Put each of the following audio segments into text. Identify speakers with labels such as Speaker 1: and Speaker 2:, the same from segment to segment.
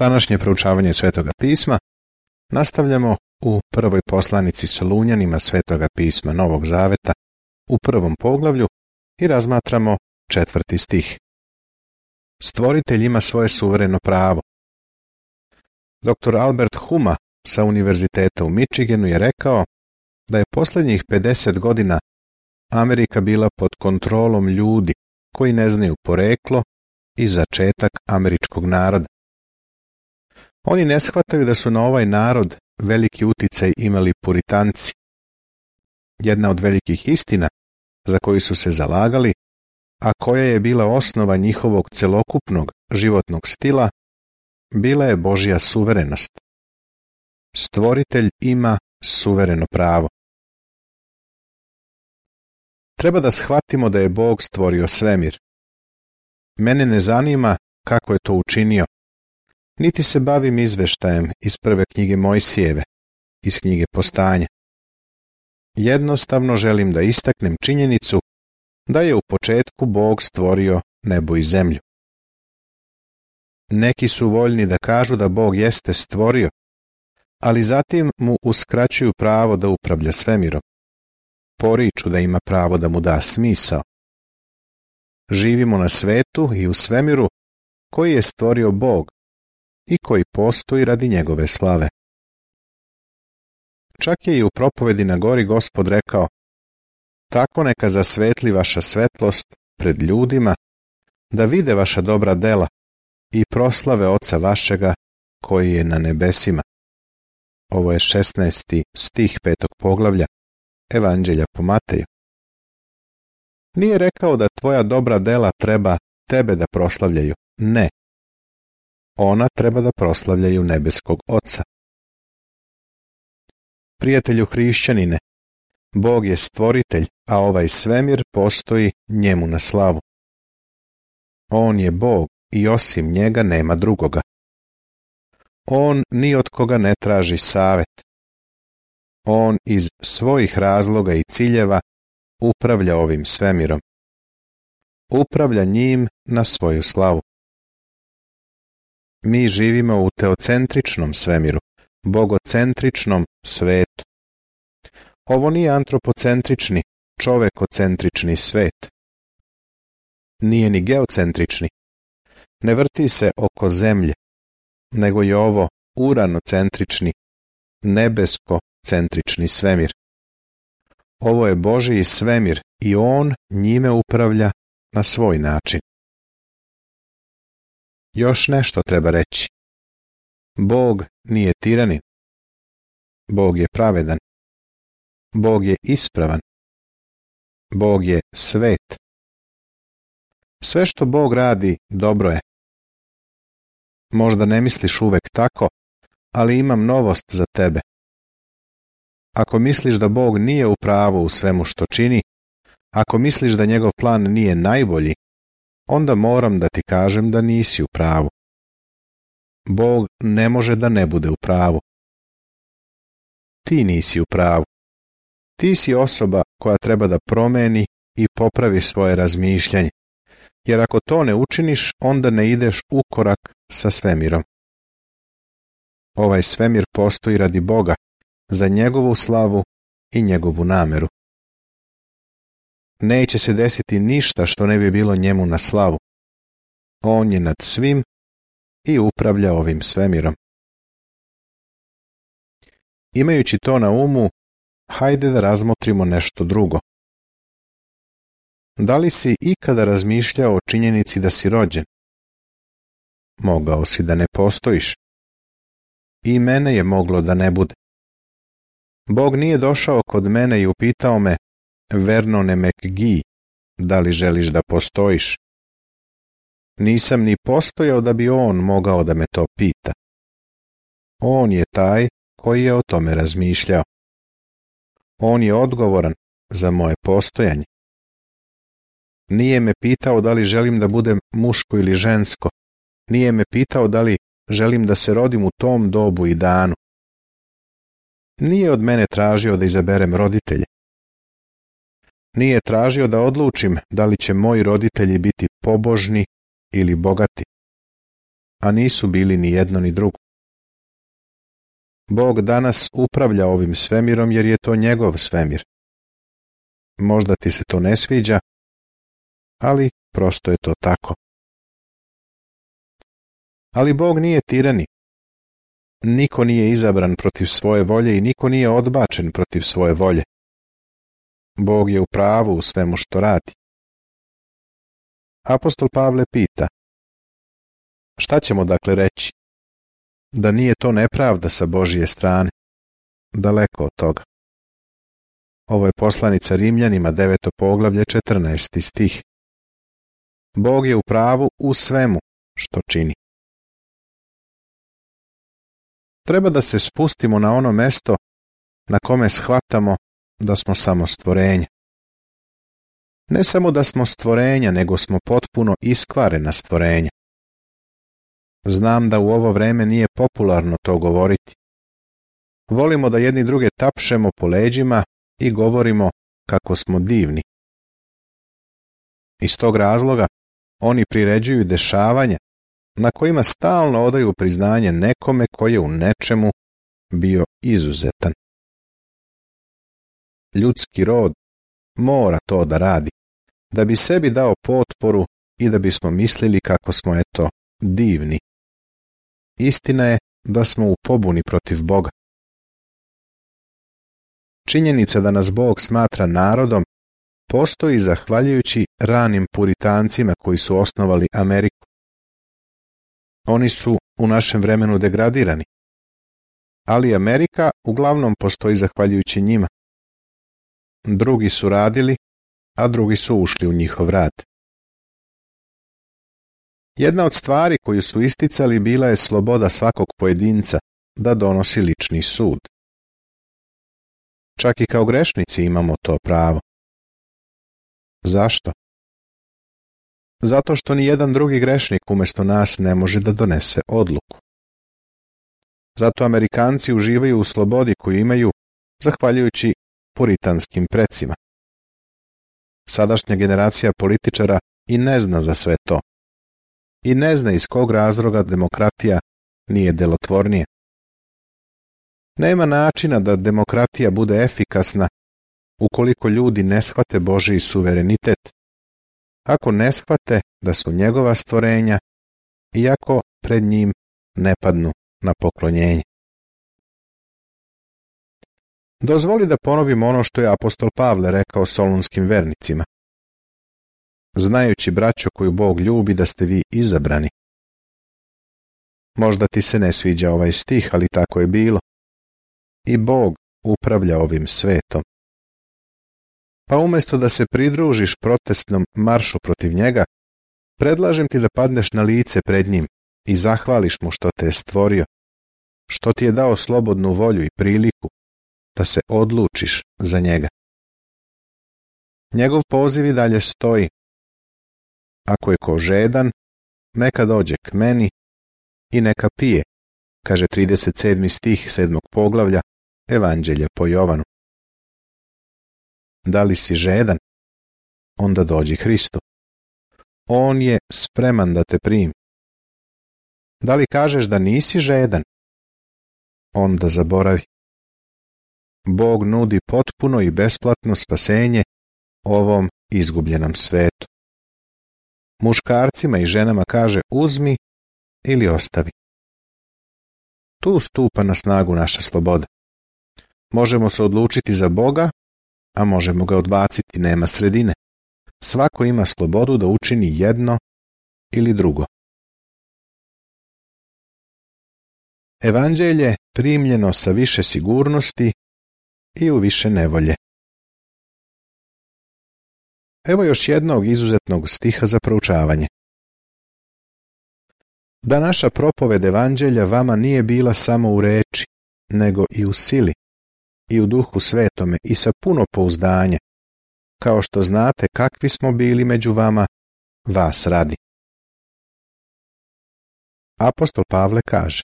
Speaker 1: Današnje proučavanje Svetoga pisma nastavljamo u prvoj poslanici Solunjanima Svetoga pisma Novog Zaveta u prvom poglavlju i razmatramo 4. stih. Stvoritelj ima svoje suvereno pravo. Dr. Albert Huma sa Univerziteta u Michiganu je rekao da je posljednjih 50 godina Amerika bila pod kontrolom ljudi koji ne znaju poreklo i začetak američkog naroda. Oni ne shvataju da su na ovaj narod veliki uticaj imali puritanci. Jedna od velikih istina za koju su se zalagali, a koja je bila osnova njihovog celokupnog životnog stila, bila je Božja suverenost. Stvoritelj ima suvereno pravo. Treba da shvatimo da je Bog stvorio svemir. Mene ne zanima kako je to učinio, niti se bavim izveštajem iz prve knjige Mojsijeve, iz knjige Postanja. Jednostavno želim da istaknem činjenicu da je u početku Bog stvorio nebo i zemlju. Neki su voljni da kažu da Bog jeste stvorio, ali zatim mu uskraćuju pravo da upravlja svemirom. Poriču da ima pravo da mu da smisao. Živimo na svetu i u svemiru koji je stvorio Bog i koji postoji radi njegove slave. Čak je i u propovedi na gori Gospod rekao: tako neka zasvetli vaša svetlost pred ljudima, da vide vaša dobra dela i proslave Oca vašega koji je na nebesima. Ovo je 16. stih 5. poglavlja Evanđelja po Mateju. Nije rekao da tvoja dobra dela treba tebe da proslavljaju. Ne. Ona treba da proslavljaju nebeskog Oca. Prijatelju hrišćanine, Bog je stvoritelj, a ovaj svemir postoji njemu na slavu. On je Bog i osim njega nema drugoga. On ni od koga ne traži savet. On iz svojih razloga i ciljeva upravlja ovim svemirom. Upravlja njim na svoju slavu. Mi živimo u teocentričnom svemiru, bogocentričnom svetu. Ovo nije antropocentrični, čovekocentrični svet. Nije ni geocentrični. Ne vrti se oko zemlje, nego je ovo uranocentrični, nebeskocentrični svemir. Ovo je Božji svemir i on njime upravlja na svoj način. Još nešto treba reći. Bog nije tiranin. Bog je pravedan. Bog je ispravan. Bog je svet. Sve što Bog radi dobro je. Možda ne misliš uvek tako, ali imam novost za tebe. Ako misliš da Bog nije u pravu u svemu što čini, ako misliš da njegov plan nije najbolji, onda moram da ti kažem da nisi u pravu. Bog ne može da ne bude u pravu. Ti nisi u pravu. Ti si osoba koja treba da promeni i popravi svoje razmišljanje, jer ako to ne učiniš, onda ne ideš u korak sa svemirom. Ovaj svemir postoji radi Boga, za njegovu slavu i njegovu nameru. Neće se desiti ništa što ne bi bilo njemu na slavu. On je nad svim i upravlja ovim svemirom. Imajući to na umu, hajde da razmotrimo nešto drugo. Da li si ikada razmišljao o činjenici da si rođen? Mogao si da ne postojiš. I mene je moglo da ne bude. Bog nije došao kod mene i upitao me: Vernone McGee, da li želiš da postojiš? Nisam ni postojao da bi on mogao da me to pita. On je taj koji je o tome razmišljao. On je odgovoran za moje postojanje. Nije me pitao da li želim da budem muško ili žensko. Nije me pitao da li želim da se rodim u tom dobu i danu. Nije od mene tražio da izaberem roditelje. Nije tražio da odlučim da li će moji roditelji biti pobožni ili bogati. a nisu bili ni jedno ni drugo. Bog danas upravlja ovim svemirom jer je to njegov svemir. Možda ti se to ne sviđa, ali prosto je to tako. Ali Bog nije tiranik. Niko nije izabran protiv svoje volje i niko nije odbačen protiv svoje volje. Bog je u pravu u svemu što radi. Apostol Pavle pita: šta ćemo dakle reći? Da nije to nepravda sa Božije strane? Daleko od toga. Ovo je poslanica Rimljanima, 9. poglavlje, 14. stih. Bog je u pravu u svemu što čini. Treba da se spustimo na ono mesto na kome shvatamo da smo samo stvorenja. Ne samo da smo stvorenja, nego smo potpuno iskvarena stvorenja. Znam da u ovo vreme nije popularno to govoriti. Volimo da jedni druge tapšemo po leđima i govorimo kako smo divni. Iz tog razloga oni priređuju dešavanja na kojima stalno odaju priznanje nekome koji je u nečemu bio izuzetan. Ljudski rod mora to da radi, da bi sebi dao potporu i da bismo mislili kako smo, eto, divni. Istina je da smo u pobuni protiv Boga. Činjenica da nas Bog smatra narodom postoji zahvaljujući ranim puritancima koji su osnovali Ameriku. Oni su u našem vremenu degradirani, ali Amerika uglavnom postoji zahvaljujući njima. Drugi su radili, a drugi su ušli u njihov rad. Jedna od stvari koju su isticali bila je sloboda svakog pojedinca da donosi lični sud. Čak i kao grešnici imamo to pravo. Zašto? Zato što ni jedan drugi grešnik umjesto nas ne može da donese odluku. Zato Amerikanci uživaju u slobodi koju imaju zahvaljujući puritanskim precima. Sadašnja generacija političara i ne zna za sve to. I ne zna iz kog razloga demokratija nije delotvornija. Nema načina da demokratija bude efikasna ukoliko ljudi ne shvate Božji suverenitet, ako ne shvate da su njegova stvorenja i ako pred njim ne padnu na poklonjenje. Dozvoli da ponovim ono što je apostol Pavle rekao solunskim vernicima. Znajući, braćo, koju Bog ljubi, da ste vi izabrani. Možda ti se ne sviđa ovaj stih, ali tako je bilo. I Bog upravlja ovim svetom. Pa umjesto da se pridružiš protestnom maršu protiv njega, predlažem ti da padneš na lice pred njim i zahvališ mu što te je stvorio, što ti je dao slobodnu volju i priliku da se odlučiš za njega. Njegov poziv i dalje stoji. Ako je ko žedan, neka dođe k meni i neka pije, kaže 37. stih 7. poglavlja Evanđelja po Jovanu. Da li si žedan? Onda dođi Hristu. On je spreman da te primi. Da li kažeš da nisi žedan? Onda zaboravi. Bog nudi potpuno i besplatno spasenje ovom izgubljenom svetu. Muškarcima i ženama kaže uzmi ili ostavi. Tu stupa na snagu naša sloboda. Možemo se odlučiti za Boga, a možemo ga odbaciti, nema sredine. Svako ima slobodu da učini jedno ili drugo. Evanđelje primljeno sa više sigurnosti i u više nevolje. Evo još jednog izuzetnog stiha za proučavanje. Da naša propoved Evanđelja vama nije bila samo u reči, nego i u sili, i u duhu svetome, i sa puno pouzdanja, kao što znate kakvi smo bili među vama, vas radi. Apostol Pavle kaže: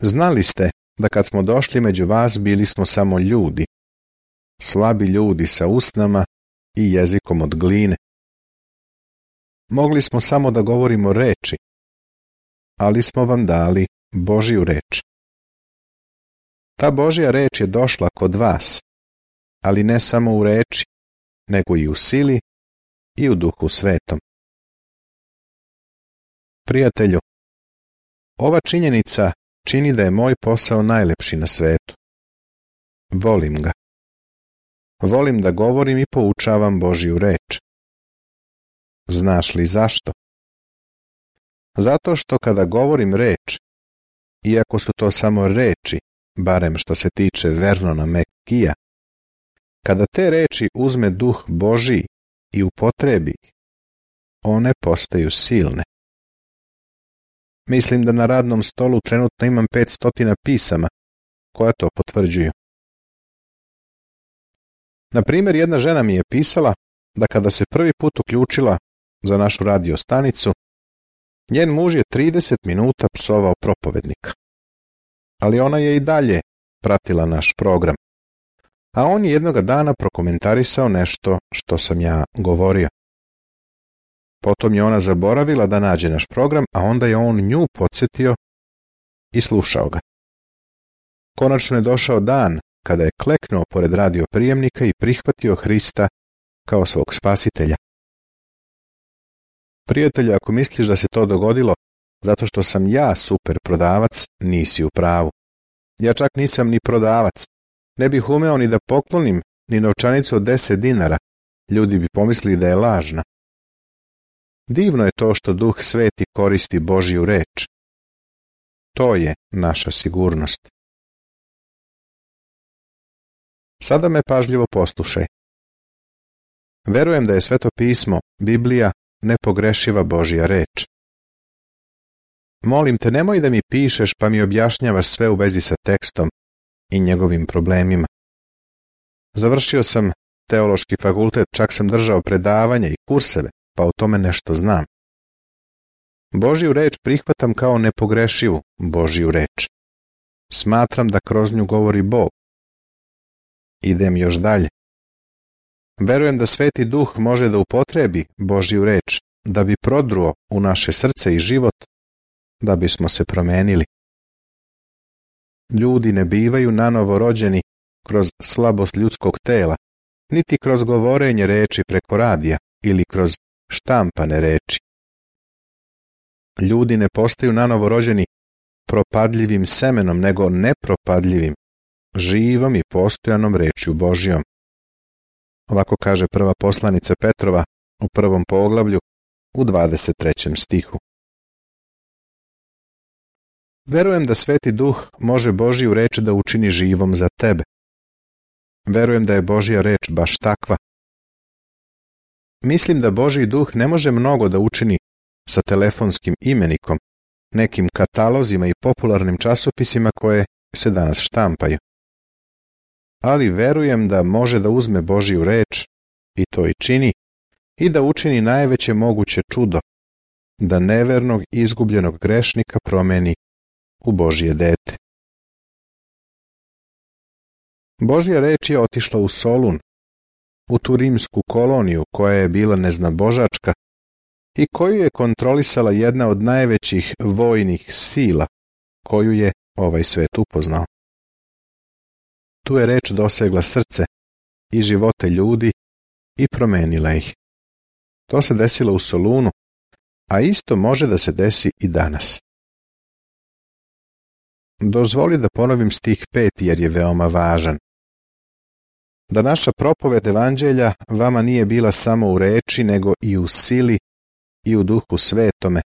Speaker 1: znali ste da kad smo došli među vas bili smo samo ljudi, slabi ljudi sa usnama i jezikom od gline. Mogli smo samo da govorimo reči, ali smo vam dali Božju reč. Ta Božja reč je došla kod vas, ali ne samo u reči, nego i u sili i u Duhu Svetom. Prijatelju, ova činjenica čini da je moj posao najlepši na svetu. Volim ga. Volim da govorim i poučavam Božju reč. Znaš li zašto? Zato što kada govorim reč, iako su to samo reči, barem što se tiče Vernona McGee'a, kada te reči uzme Duh Božji i upotrebi ih, one postaju silne. Mislim da na radnom stolu trenutno imam 500 pisama koja to potvrđuju. Na primjer, jedna žena mi je pisala da kada se prvi put uključila za našu radio stanicu, njen muž je 30 minuta psovao propovednika. Ali ona je i dalje pratila naš program. A on je jednoga dana prokomentarisao nešto što sam ja govorio. Potom je ona zaboravila da nađe naš program, a onda je on nju podsjetio i slušao ga. Konačno je došao dan kada je kleknuo pored radio prijemnika i prihvatio Hrista kao svog spasitelja. Prijatelju, ako misliš da se to dogodilo zato što sam ja super prodavac, nisi u pravu. Ja čak nisam ni prodavac. Ne bih umeo ni da poklonim ni novčanicu od 10 dinara. Ljudi bi pomislili da je lažna. Divno je to što Duh Sveti koristi Božju reč. To je naša sigurnost. Sada me pažljivo poslušaj. Verujem da je Sveto pismo, Biblija, nepogrešiva Božja reč. Molim te, nemoj da mi pišeš pa mi objašnjavaš sve u vezi sa tekstom i njegovim problemima. Završio sam teološki fakultet, čak sam držao predavanja i kurseve, pa o tome nešto znam. Božju reč prihvatam kao nepogrešivu Božju reč. Smatram da kroz nju govori Bog. Idem još dalje. Verujem da Sveti Duh može da upotrebi Božju reč da bi prodruo u naše srce i život, da bismo se promenili. Ljudi ne bivaju nanovo rođeni kroz slabost ljudskog tela, niti kroz govorenje reči preko radija ili kroz štampane reči. Ljudi ne postaju nanovo rođeni propadljivim semenom, nego nepropadljivim, živom i postojanom rečju Božjom. Ovako kaže prva poslanica Petrova u 1. poglavlju u 23. stihu. Verujem da Sveti Duh može Božju reč da učini živom za tebe. Verujem da je Božja reč baš takva. Mislim da Božji Duh ne može mnogo da učini sa telefonskim imenikom, nekim katalozima i popularnim časopisima koje se danas štampaju. Ali verujem da može da uzme Božju reč, i to i čini, i da učini najveće moguće čudo, da nevernog i izgubljenog grešnika promeni u Božje dete. Božja reč je otišla u Solun, u tu rimsku koloniju koja je bila neznabožačka i koju je kontrolisala jedna od najvećih vojnih sila koju je ovaj svet upoznao. Tu je reč dosegla srce i živote ljudi i promenila ih. To se desilo u Solunu, a isto može da se desi i danas. Dozvoli da ponovim stih 5 jer je veoma važan. Da naša propoved evanđelja vama nije bila samo u reči, nego i u sili i u Duhu Svetome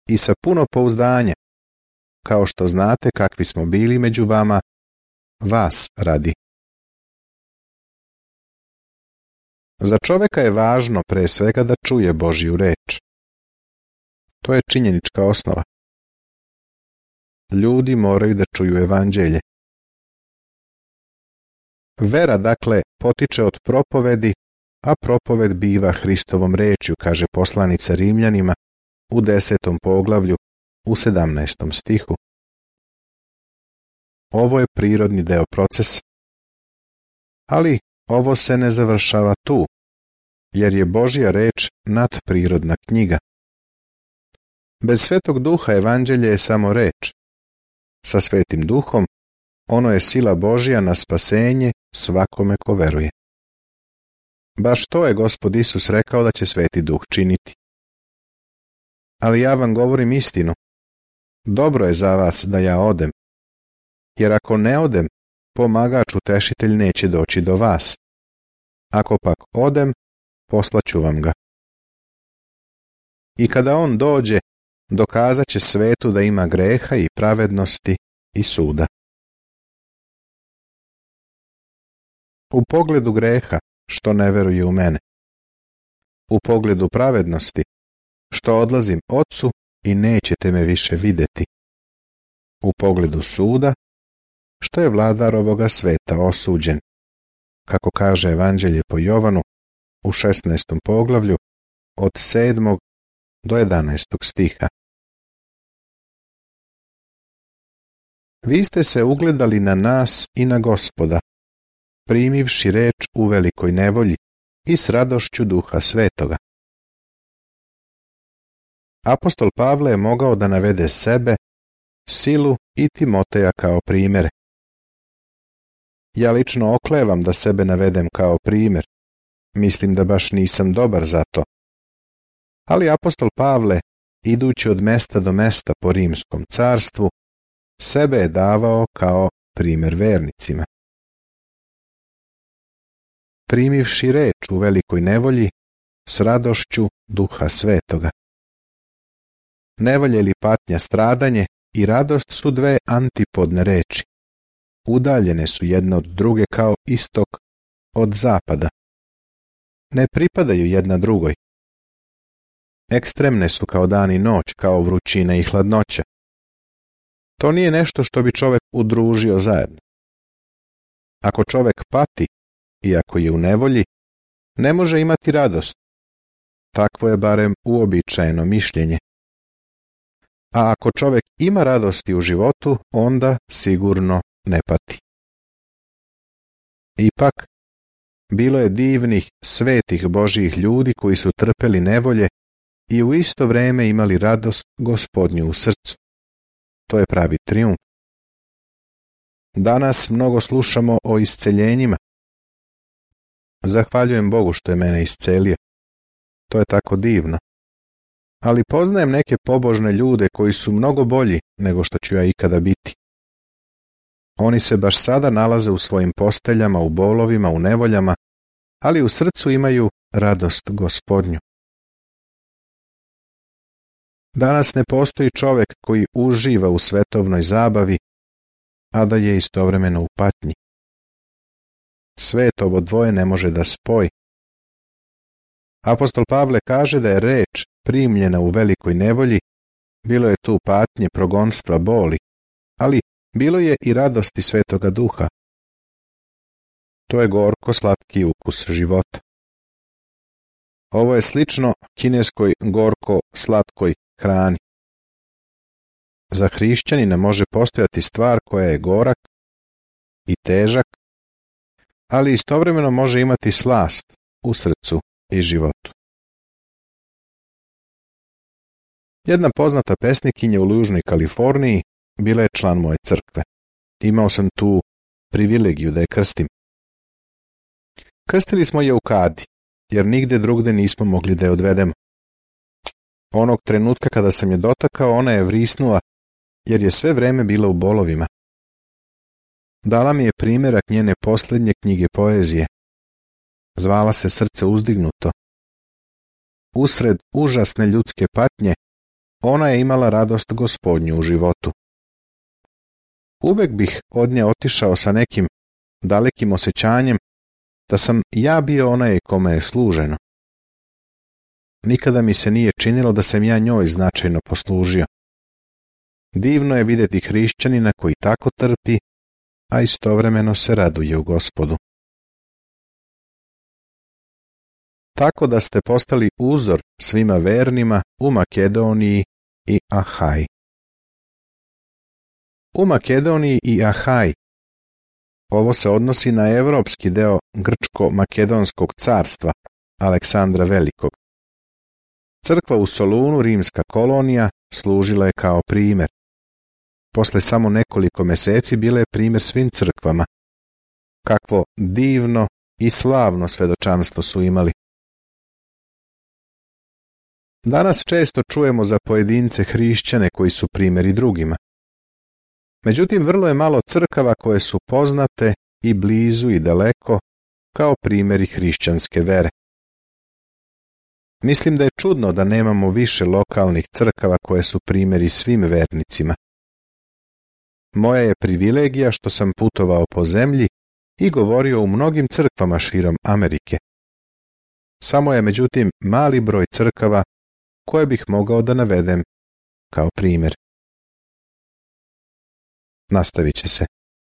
Speaker 1: i sa puno pouzdanja, kao što znate kakvi smo bili među vama, vas radi. Za čoveka je važno pre svega da čuje Božju reč. To je činjenička osnova. Ljudi moraju da čuju evanđelje. Vera, dakle, potiče od propovedi, a propoved biva Hristovom rečju, kaže poslanica Rimljanima u 10. poglavlju u 17. stihu. Ovo je prirodni deo procesa. Ali ovo se ne završava tu, jer je Božja reč nadprirodna knjiga. Bez Svetog Duha evanđelje je samo reč. Sa Svetim Duhom ono je sila Božja na spasenje svakome ko veruje. Baš to je Gospod Isus rekao da će Sveti Duh činiti. Ali ja vam govorim istinu. Dobro je za vas da ja odem, jer ako ne odem, pomagač utešitelj neće doći do vas. Ako pak odem, poslaću vam ga. I kada on dođe, dokazat će svetu da ima greha i pravednosti i suda. U pogledu greha, što ne veruje u mene. U pogledu pravednosti, što odlazim Otcu i nećete me više vidjeti. U pogledu suda, što je vladar ovoga sveta osuđen, kako kaže Evanđelje po Jovanu u 16. poglavlju od 7. do 11. stiha. Vi ste se ugledali na nas i na Gospoda, primivši reč u velikoj nevolji i s radošću Duha Svetoga. Apostol Pavle je mogao da navede sebe, Silu i Timoteja kao primere. Ja lično oklevam da sebe navedem kao primjer. Mislim da baš nisam dobar za to. Ali apostol Pavle, idući od mesta do mesta po Rimskom carstvu, sebe je davao kao primjer vernicima. Primivši reč u velikoj nevolji s radošću Duha Svetoga. Nevolja ili patnja, stradanje i radost su dve antipodne reči. Udaljene su jedna od druge kao istok od zapada. Ne pripadaju jedna drugoj. Ekstremne su kao dan i noć, kao vrućina i hladnoća. To nije nešto što bi čovjek udružio zajedno. Ako čovjek pati, iako je u nevolji, ne može imati radost. Takvo je barem uobičajeno mišljenje. A ako čovjek ima radosti u životu, onda sigurno ne pati. Ipak, bilo je divnih, svetih Božjih ljudi koji su trpeli nevolje i u isto vrijeme imali radost Gospodnju u srcu. To je pravi trijumf. Danas mnogo slušamo o isceljenjima. Zahvaljujem Bogu što je mene iscelio. To je tako divno. Ali poznajem neke pobožne ljude koji su mnogo bolji nego što ću ja ikada biti. Oni se baš sada nalaze u svojim posteljama, u bolovima, u nevoljama, ali u srcu imaju radost Gospodnju. Danas ne postoji čovjek koji uživa u svetovnoj zabavi, a da je istovremeno u patnji. Svet ovo dvoje ne može da spoji. Apostol Pavle kaže da je reč primljena u velikoj nevolji, bilo je tu patnje, progonstva, boli, ali bilo je i radosti Svetoga Duha. To je gorko slatki ukus života. Ovo je slično kineskoj gorko slatkoj hrani. Za hrišćanina može postojati stvar koja je gorak i težak, ali istovremeno može imati slast u srcu i životu. Jedna poznata pesnikinja u Južnoj Kaliforniji bila je član moje crkve. Imao sam tu privilegiju da je krstim. Krstili smo je u kadi, jer nigde drugde nismo mogli da je odvedemo. Onog trenutka kada sam je dotakao, ona je vrisnula, jer je sve vreme bila u bolovima. Dala mi je primjerak njene posljednje knjige poezije. Zvala se Srce uzdignuto. Usred užasne ljudske patnje, ona je imala radost Gospodnju u životu. Uvek bih od nje otišao sa nekim dalekim osjećanjem da sam ja bio onaj kome je služeno. Nikada mi se nije činilo da sam ja njoj značajno poslužio. Divno je vidjeti hrišćanina koji tako trpi, a istovremeno se raduje u Gospodu. Tako da ste postali uzor svima vernima u Makedoniji i Ahaji. U Makedoniji i Ahaji. Ovo se odnosi na evropski deo Grčko-Makedonskog carstva Aleksandra Velikog. Crkva u Solunu, rimska kolonija, služila je kao primjer. Posle samo nekoliko mjeseci bila je primjer svim crkvama. Kakvo divno i slavno svedočanstvo su imali. Danas često čujemo za pojedince hrišćane koji su primjeri drugima. Međutim, vrlo je malo crkava koje su poznate i blizu i daleko kao primjeri hrišćanske vere. Mislim da je čudno da nemamo više lokalnih crkava koje su primjeri svim vernicima. Moja je privilegija što sam putovao po zemlji i govorio u mnogim crkvama širom Amerike. Samo je međutim mali broj crkava koje bih mogao da navedem kao primjer. Nastavit će se.